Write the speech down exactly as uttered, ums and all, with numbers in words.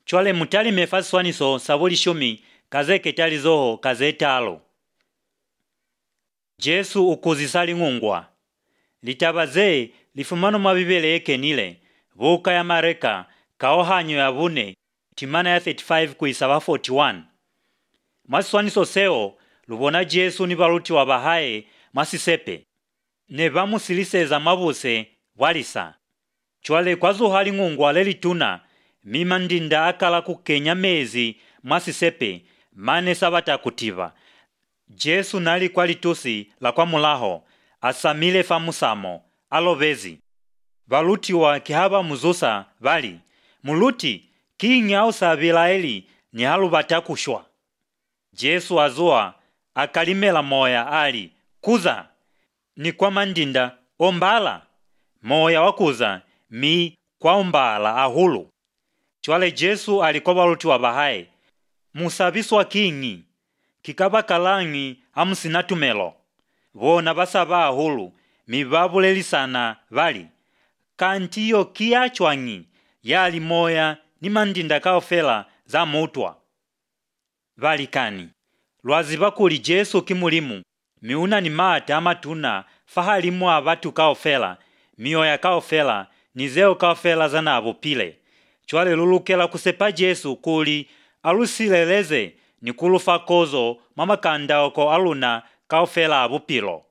chwale mutali mefaswaniso sabuli shumi kazeke talizoho kazetalo. Jesu ukuzisali ngungwa. Litabaze lifumano mabibele ekenile vuka ya mareka kaohanyo ya vune timana ya thirty-five kuisaba forty-one. Maswaniso seo lubona Jesu ni baluti wa bahaye masisepe ne bamusiliseza mabuse walisa. Chwale kwazo hali ngungwa lelituna mima ndinda akala kukenya mezi masisepe mane sabata kutiva. Jesu nali kwa litusi la kwa mulaho asamile famusamo alovezi. Baluti wa kihaba muzusa bali muluti kinga usabila eli ni halu batakushwa. Jesu azua akalimela moya ali kuza ni kwa mandinda ombala moya wakuza mi kwa ombala ahulu. Chwale Jesu alikuwa baluti wa bahaye musabiswa kingi kikaba kalangi amusinatumelo vona basaba ahulu mibabulelisana bali kantiyo kiachwangi yali moya ni mandinda kaofela za mutwa bali kani lwaziba kuli Jesu kimulimu miuna ni mata amatuna fahalimu abatu kaofela mioya kaofela nizeo kaofela za nabo pile. Chwale lulukela kusepa Jesu kuli alusileleze ni kulufa kozo mama kanda oko aluna kaofela abupilo.